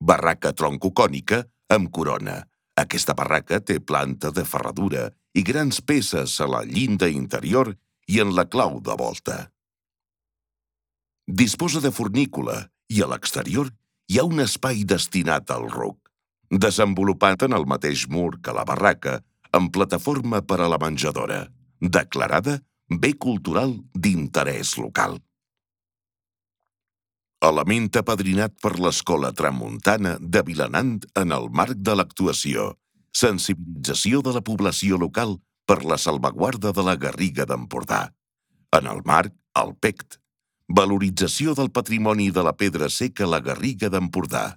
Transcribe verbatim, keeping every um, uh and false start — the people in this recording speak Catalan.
Barraca troncocònica amb corona. Aquesta barraca té planta de ferradura i grans peces a la llinda interior i en la clau de volta. Disposa de fornícula i a l'exterior hi ha un espai destinat al ruc, desenvolupat en el mateix mur que la barraca, amb plataforma per a la menjadora, declarada bé cultural d'interès local. Element apadrinat per l'Escola Tramuntana de Vilanant en el marc de l'actuació Sensibilització de la població local per la salvaguarda de la Garriga d'Empordà. En el marc, el P E C T, Valorització del patrimoni de la pedra seca a la Garriga d'Empordà.